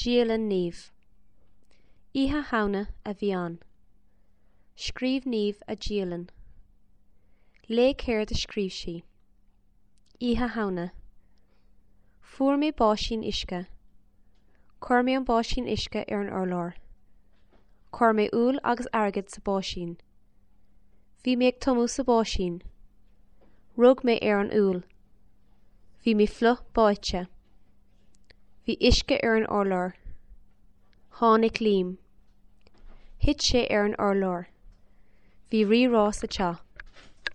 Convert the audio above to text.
Dialann Niamh. Oíche Shamhna a bhí ann. Scríobh Niamh a dialann. Léigh céard a scríobh sí. Oíche Shamhna. Fuair mé báisín uisce. Chuir mé an báisín uisce ar an urlár. Chuir mé úll agus airgead sa báisín. Bhí mé ag tumadh sa báisín. Rug mé ar an úll. Bhí mé fliuch báite. Bhí uisce ar an urlár. Tháinig Liam. Thit sé ar an urlár. Bhí rí-rá sa teach.